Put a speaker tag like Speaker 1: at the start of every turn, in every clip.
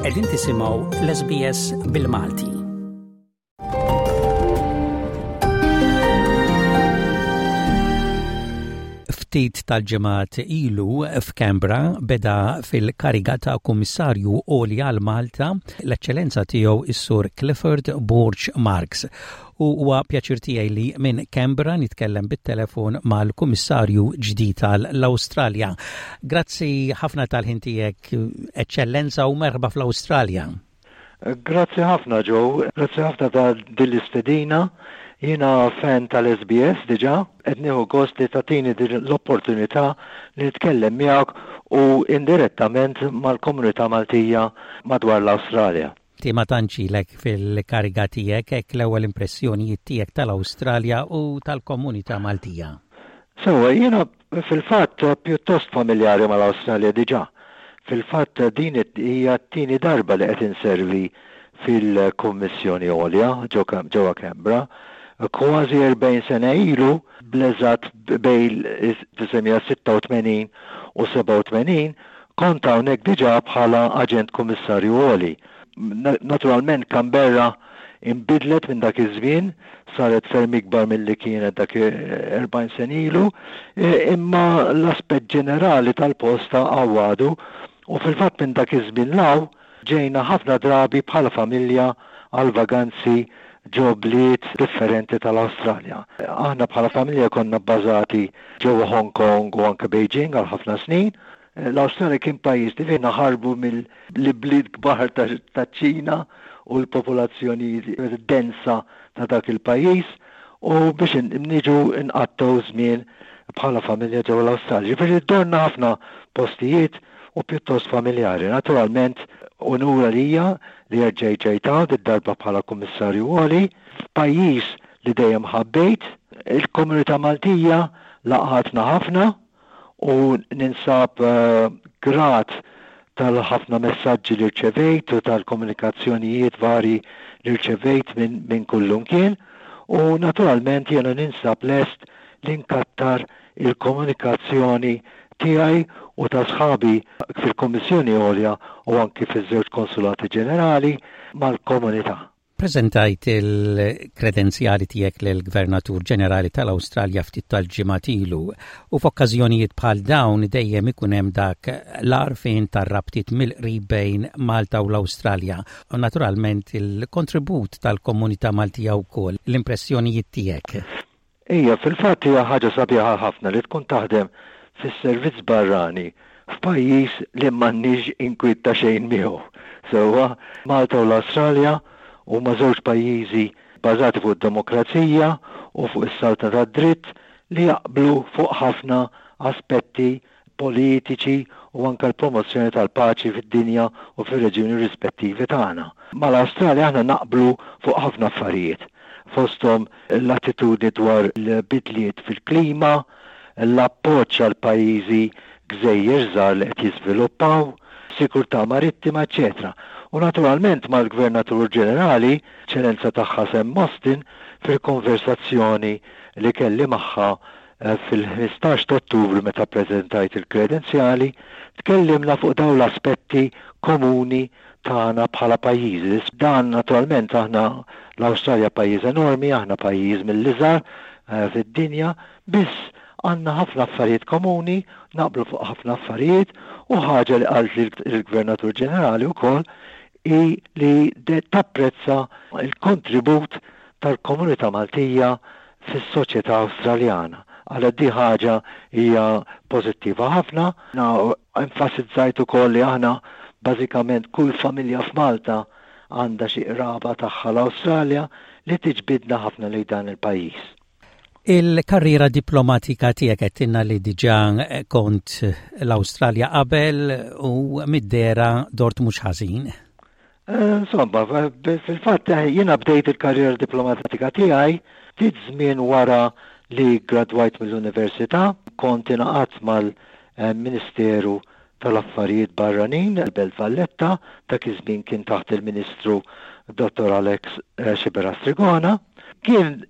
Speaker 1: Qegħdin tisimgħu l-SBS bil-Malti. Ftit tal-ġimgħat ilu f'Canberra beda fil-kariga ta' Kummissarju Għoli għal Malta l-Eċċellenza tiegħu is-Sur Clifford Borg Marks. U huwa pjaċir tiegħi li minn Canberra nitkellem bit-telefon mal-Kummissarju ġdid tal-Awstralja. Grazzi ħafna tal-ħin tiegħek, Eċċellenza, u merħba fl-Awstralja.
Speaker 2: Grazzi ħafna Joe, grazzi ħafna ta' din l-istedina. Jiena fan tal-SBS diġà, qed nieħu gost li tagħtini din l-opportunità li nitkellem miegħek u indirettament mal-komunità Maltija madwar l-Awstralja.
Speaker 1: Ti ma tantx ilek fil-kariga tiegħek, hekk l-ewwel impressjonijiet tiegħek tal-Awstralja u tal-komunità Maltija.
Speaker 2: Sewwa, jiena Fil-fatt, pjuttost familjari mal-Awstralja diġà. Fil-fatt, din hija t-tieni darba li qed inservi fil-Kummissjoni Għolja ġewwa Canberra. Kważi 40 sena ilu, bl-eżatt bejn 1986 u 87, kont hawnhekk diġà bħala Aġent Kummissarju Għoli. Naturalment Canberra inbidlet minn dak iż-żmien, saret ferm ikbar milli kienet dak 40 sena ilu, imma l-aspett ġenerali tal-post hawn għadu u fil-fatt minn dak iż-żmien 'l hawn ġejna ħafna drabi bħala familja għal vaganzi ġo bliet differenti tal-Awstralja. Aħna bħala familja konna bbażati ġewwa Hong Kong u anke Beijing għal ħafna snin. L-Awstralja kien pajjiż li fih naħarbu mill-ibliet kbar taċ-Ċina u l-popolazzjoni densa ta' dak il-pajjiż u biex niġu nqattgħu żmien bħala familja ġewwa l-Awstralja. Ġifieri dorna ħafna postijiet u pjuttost familjari. Naturalment unur għalija li erġejt ġejt hawn did-darba bħala Kummissarju Għoli f'pajjiż li dejjem ħabbejt. Il-komunità Maltija laqgħatna ħafna u ninsab grat tal-ħafna messaġġi li rċevejt u tal-komunikazzjonijiet varji li rċevejt minn kullumkien u naturalment jiena ninsab lest li nkattar il-komunikazzjoni tiegħi u ta' sħabi fil-Kummissjoni Għolja u anki fiż-żewġ Konsulati Ġenerali mal-komunità.
Speaker 1: Preżentajt il-kredenzjali tiegħek lill-Gvernatur Ġenerali tal-Awstralja ftit tal-ġimgħat ilu u f'okkażjonijiet bħal dawn dejjem ikun hemm dak l-għarfien tar-rabtiet mill-qrib bejn Malta u l-Awstralja u naturalment il-kontribut tal-komunità Maltija wkoll. L-impressjonijiet tiegħek?
Speaker 2: Ija, fil-fatt hija ħaġa sabiħa ħafna li tkun taħdem fis-servizz barrani f'pajjiż li m'għandniex inkwiet ta' xejn miegħu. Sewwa, Malta u l-Awstralja huma żewġ pajjiżi bbażati fuq id-demokrazija u fuq is-saltna tad-dritt li jaqblu fuq ħafna aspetti politiċi u anke l-promozzjoni tal-paċi fid-dinja u fir-reġjuni rispettivi tagħna. Mal-Awstralja aħna naqblu fuq ħafna affarijiet, fosthom l-attitudni dwar l-bidliet fil-klima, l-appoġġ għal pajjiżi gżejjer żgħar li qed jiżviluppaw, sigurtà marittima, eċċetera U naturalment mal-Gvernatur Ġenerali, Eċċellenza Tagħha Sam Mostyn, fil-konversazzjoni li kelli magħha Fil-15 ta' Ottubru meta ppreżentajt il-kredenzjali, tkellimna fuq dawn l-aspetti komuni tagħna bħala pajjiżi. Dan naturalment aħna l-Awstralja pajjiż enormi, aħna pajjiż mill-iżgħar fid-dinja, biss għandna ħafna affarijiet komuni, naqblu fuq ħafna affarijiet u ħaġa li qaltli l-Gvernatur Ġenerali wkoll hi li tapprezza l-kontribut tal-komunità Maltija fis-soċjetà Awstraljana. Għalhekk di ħaġa hija pożittiva ħafna. Enfasizzajt ukoll li aħna bażikament kull familja f'Malta għandha xi qraba tagħha l-Awstralja li tiġbidna ħafna lejn dan il-pajjiż.
Speaker 1: Il-karriera diplomatika tiegħek għedtilna li diġà kont l-Awstralja qabel u mid-dehra dort mhux ħażin.
Speaker 2: Insomma, fil-fatt jiena bdejt il-karriera diplomatika tiegħi ftit żmien wara li ggradwajt mill-università. Kont ingħaqadt mal-Ministeru tal-Affarijiet Barranin, il-Belt Valletta, dak iż-żmien kien taħt il-Ministru Dottor Alex Sciberras Trigona. Kien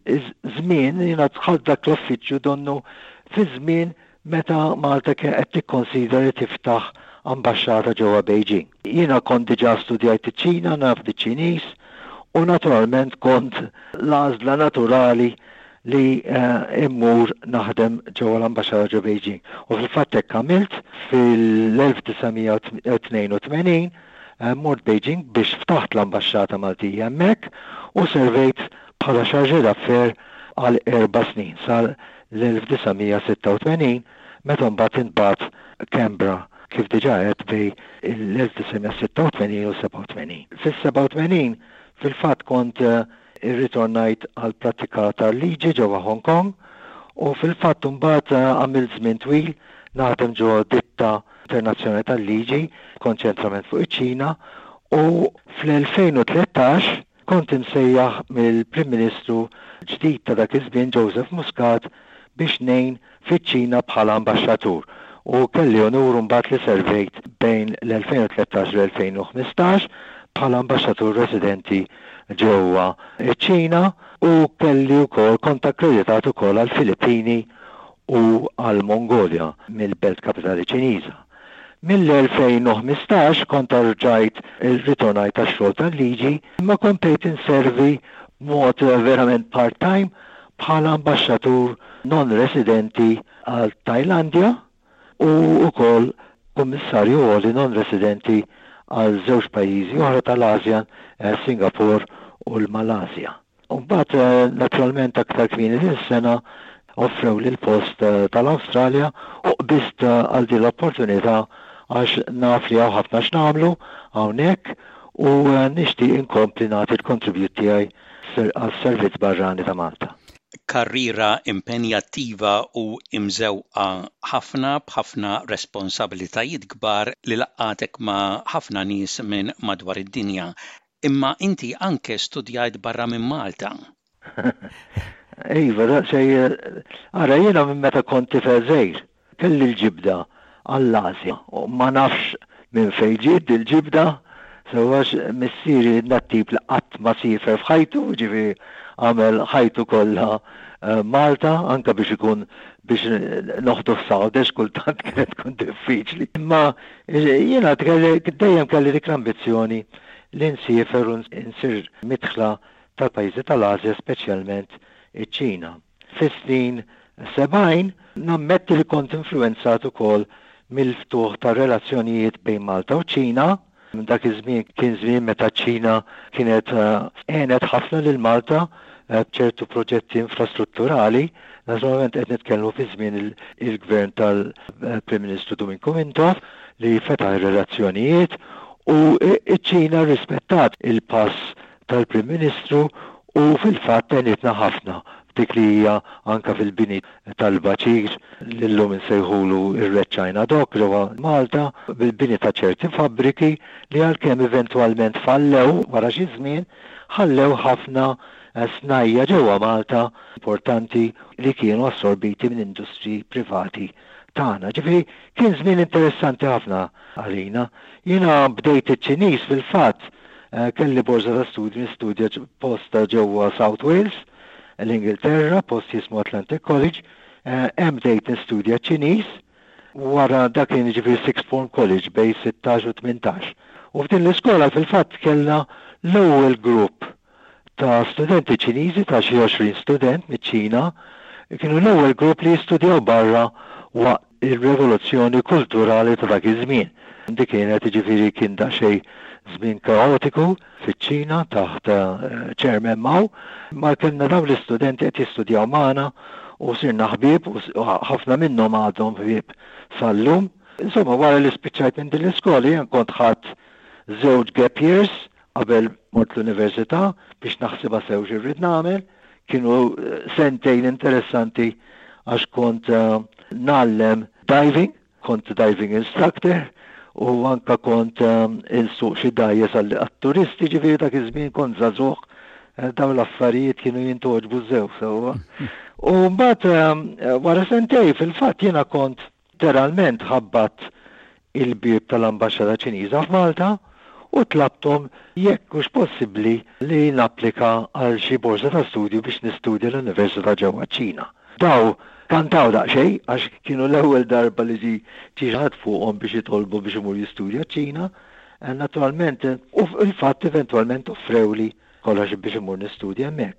Speaker 2: żmien, jiena dħalt dak l-uffiċċju donnu fi żmien meta Malta kienet qed tikkonsidra li tiftaħ ambaxxata ġewwa Beijing. Jiena kont diġà studjajt iċ-Ċina, naf biċ-Ċiniż u naturalment kont l-għażla naturali li mmur naħdem ġewwa l-ambaxxata ġo Beijing. U fil-fatt hekk għamilt fil-1982 mort Beijing biex ftaħt l-ambaxxata Maltija hemmhekk u servejt bħala chargé d'affaires għal erba' snin sal-1986 meta mbagħad intbagħat Canberra kif diġà għedt bejn l-1986 u 87. Fis-87 fil-fatt kont Irritornajt għall-prattika tal-liġi ġewwa Hong Kong u fil-fatt imbagħad għamilt żmien twil naħdem ġo ditta internazzjonali tal-liġi b'konċentrament fuq iċ-Ċina u fl-2013 kont imsejjaħ mill-Prim Ministru ġdid ta' dak iż-żmien Joseph Muscat biex ngħin fiċ-Ċina bħala ambaxxatur u kelli unur imbagħad li servejt bejn l-2013 u l-2015 bħala ambaxxatur residenti ġewwa ċ-Ċina u kelli wkoll kont akkreditat ukoll għall-Filippini u għall-Mongolja mill-belt kapitali Ċiniża. Mill-2015 kont rġajt irritornajt għax-xogħol tal-liġi imma komplejt inservi b'mod verament part-time bħala ambaxxatur non-residenti għal Tajlandja u wkoll Kummissarju Għoli non-residenti għal żewġ pajjiżi oħra tal-ASEAN, Singapore u l-Malasja. U mbagħad naturalment aktar kmieni din is-sena offrewli l-post tal-Awstralja u qbiżt għal din l-opportunità għax naf li hawn ħafna x'nagħmlu hawnhekk u nixtieq inkompli nagħti l-kontribut tiegħi għas-Servizz Barrani ta' Malta.
Speaker 1: Karriera impenjattiva u imżewqa ħafna b'ħafna responsabilitajiet kbar li laqqgħatek ma' ħafna nies minn madwar id-dinja. Imma inti anke studjajt barra minn Malta.
Speaker 2: Iva, daqsxejn, ara jiena minn meta kont tifel żgħir kelli l-ġibda għall-Asja u ma nafx minn fejn ġiet dil-ġibda, sewwa għax missieri dat-tip li qatt ma siefer f'ħajtu, jiġifieri għamel ħajtu kollha Malta, anke biex ikun biex noħduh s'Għawdex kultant kienet tkun diffiċli. Imma jiena dejjem kelli dik l-ambizzjoni li nsiefer u nsir midħla tal-pajjiżi tal-Asja speċjalment iċ-Ċina. Fis-snin 70 nammetti li kont influwenzat ukoll mill-ftuħ tar-relazzjonijiet bejn Malta u ċ-Ċina. Dak iż-żmien kien żmien meta ċ-Ċina kienet għenet ħafna lil Malta b'ċertu proġetti infrastrutturali. Naturalment qed nitkellmu fi żmien il-gvern tal-Prim Ministru Duminku Mintoff li fetaħ ir-relazzjonijiet u ċ-Ċina rrispettat il-pass tal-Prim Ministru u fil-fatt għenitna ħafna f'dik li hija anke fil-bini tal-baċir li llum insejħulu r-Red China Dock ġewwa Malta, bil-bini ta' ċerti fabbriki li għalkemm eventwalment fallew wara xi żmien, ħallew ħafna snajja' ġewwa Malta importanti li kienu assorbiti minn industriji privati tagħna. Ġifieri kien żmien interessanti ħafna għalina. Jiena bdejt iċ-Ċiniż fil-fatt Kelli borża ta' studju nistudja post ġewwa South Wales, l-Ingilterra, post jismu Atlantic College. Hemm bdejt nistudja ċ-Ċiniż. Wara dak kien jiġifieri Sixth Form College bejn 16 u 18. U f'din l-iskola fil-fatt kellna l-ewwel grupp ta' studenti Ċiniżi ta' xi 20 student miċ-Ċina, kienu l-ewwel grupp li jistudjaw barra waqt ir-revoluzzjoni kulturali ta' dak iż-żmien. Dik kienet, jiġifieri kien daqsxejn żmien kaotiku fiċ-Ċina taħt Chairman Mao, imma kellna dawn l-istudenti qed jistudjaw magħna u sirna ħbieb u ħafna minnhom għadhom ħbieb sal-lum. Insomma, wara li spiċċajt minn din l-iskola jien kont ħadt żewġ gap years Qabel mort l-università biex naħsibha sew xi rrid nagħmel, kienu sentejn interessanti għax kont ngħallem diving, kont diving instructor u anka kont insuq xi dgħajjes għat-turisti, ġifieri dak iż-żmien kont żagħżugħ, dawn l-affarijiet kienu jintgħoġbu sew sewwa. U mbagħad wara sentejn fil-fatt jiena kont Letteralment ħabbatt il-bieb tal-Ambaxxata Ċiniża f'Malta u tlabthom jekk hux possibbli li napplika għal xi borża ta' studju biex nistudja l-università ġewwa ċ-Ċina. Daw Kantaw daqsxejn għax kienu l-ewwel darba li ġie xi ħadd fuqhom biex jitolbu biex imur jistudja ċ-Ċina. Naturalment, u fil-fatt eventwalment offrewli scholarship biex immur nistudja hemmhekk.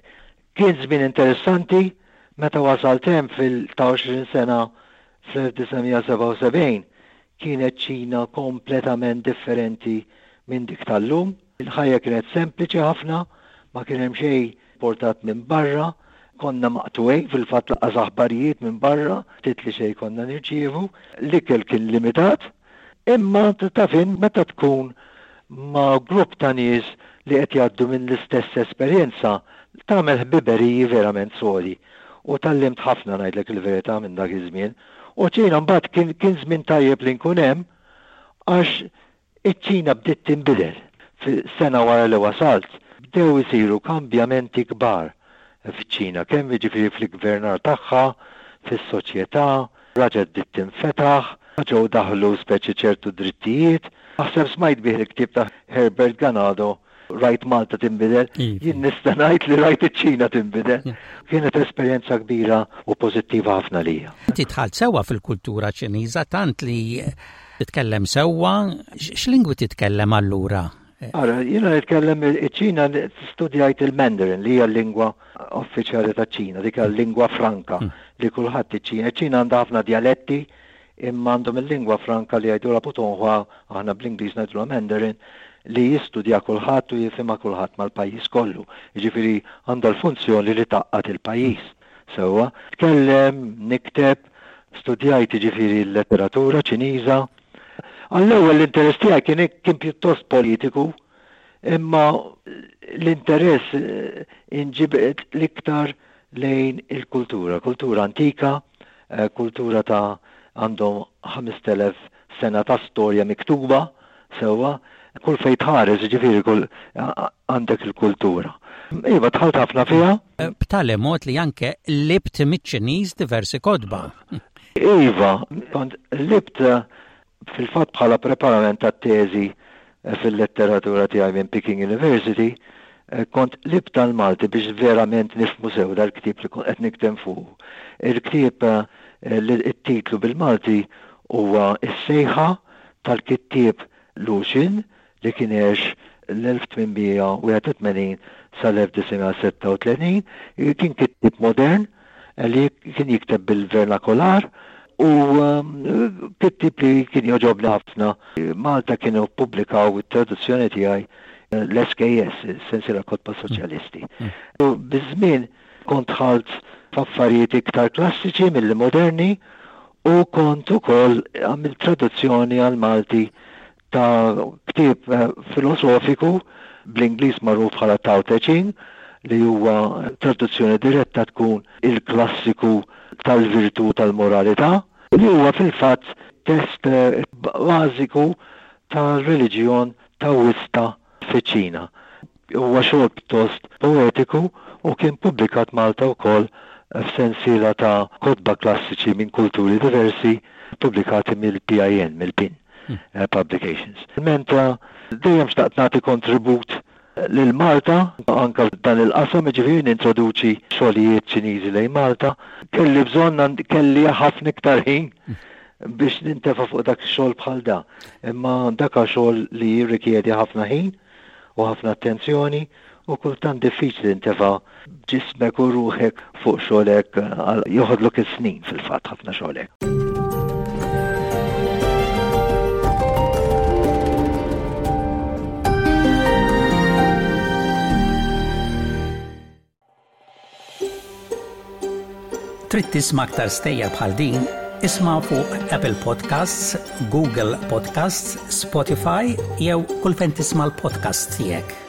Speaker 2: Kien żmien interessanti, meta wasalt hemm fil ta' 20 sena fl-1977 kienet Ċina kompletament differenti minn dik tal-lum. Il-ħajja kienet sempliċi ħafna, ma kien hemm xejn importat minn barra, konna maqtugħin fil-fatt lanqas aħbarijiet minn barra, ftit li xejn konna nirċievu, l-ikel kien limitat, imma taf int meta tkun ma' grupp ta' nies li qed jgħaddu minn l-istess esperjenza, tagħmel ħbiberiji verament sodi. U tgħallimt ħafna ngħidlek il-verità minn dak iż-żmien. U ċ-Ċina mbagħad kien kien żmien tajjeb li nkun hemm għax Iċ-Ċina bdiet tinbidel. Sena wara li wasalt, bdew isiru kambjamenti kbar fiċ-Ċina, kemm jiġifieri fl-iggvernar tagħha, fis-soċjetà, raġgħet bdiet tinfetaħ, ġew daħlu speċi ċertu drittijiet. Naħseb smajt bih il-ktieb ta' Herbert Ganado, Rajt Malta tinbidel, jien nista' ngħid li rajt iċ-Ċina tinbidel. Kienet esperjenza kbira u pożittiva ħafna lija.
Speaker 1: Inti dħalt sewwa fil-kultura Ċiniża tant li titkellem sewwa, x'lingwi titkellem allura?
Speaker 2: Ara, jiena nitkellem iċ-Ċina studjajt il-Mandarin li hija l-lingwa uffiċjali taċ-Ċina, dik l-lingwa franka hmm. li kulħadd iċ-Ċina. Iċ-Ċina għandha ħafna dialetti imma għandhom il-lingwa franka li jgħidulha Putonghua, aħna bl-Ingliż ngħidulha Mandarin, li jistudja kulħadd u jifhimha kulħadd mal-pajjiż kollu. Jiġifieri għandha l-funzjoni li tgħaqqad il-pajjiż. Sewwa. Tkellem, nikteb, studjajt jiġifieri l-letteratura Ċiniża. Għall-ewwel l-interess tiegħi kien kien pjuttost politiku, imma l-interess inġibed l-iktar lejn il-kultura, kultura antika, kultura ta' għandhom 5,000 sena ta' storja miktuba sewwa, kull fejn tħares jiġifieri kull għandek il-kultura. Iva, dħalt ħafna fiha.
Speaker 1: B'tali mod li anke qlibt miċ-Ċiniż diversi kotba.
Speaker 2: Iva, kont qlibt Fil-fatt bħala preparament għat-teżi fil-letteratura tiegħi minn Peking University, kont qlibt għall-Malti biex verament nifhmu sew dal-ktieb li kont qed niktem fuqu. Il-ktieb it-titlu bil-Malti huwa Is-Sejħa tal-kittieb Lu Xun li kien għex l-1881 sal-1936, kien kittieb modern li kien jikteb bil-vernakolar u kittieb li kien jogħġobni ħafna. Malta kienu ppubblikaw it-traduzzjoni tiegħi l-SKS, is-Sensiela Kotba Soċjalisti. U biż-żmien kont dħalt f'affarijiet iktar klassiċi milli moderni u kont ukoll għamilt traduzzjoni għall-Malti ta' ktieb filosofiku bl-Ingliż magħruf bħala Tao Te Ching, li huwa traduzzjoni diretta tkun il-klassiku tal-virtù tal-moralità, li huwa fil-fatt test bażiku tar-reliġjon Taoista fiċ-Ċina. Huwa xogħol pjuttost poetiku u kien pubblikat Malta wkoll f'sensiela ta' kotba klassiċi minn kulturi diversi ppubblikati mill-PIN, mill-PIN Publications. Mentra dejjem xtaqt nagħti kontribut lil Malta anke f'dan il-qasam, jiġifieri nintroduċi xogħlijiet Ċiniżi lejn Malta. Kelli bżonn, kelli ħafna iktar ħin biex nintefa' fuq dak xogħol bħal da. Imma dak xogħol li jirrikjedi ħafna ħin u ħafna attenzjoni u kultant diffiċli tintefa' ġismek u ruħek fuq xogħol hekk joħodlok is-snin fil-fatt ħafna xogħol hekk.
Speaker 1: Trid tisma' aktar stejjer bħal din? Isma' fuq Apple Podcasts, Google Podcasts, Spotify jew kull fejn tisma' l-podcasts tiegħek.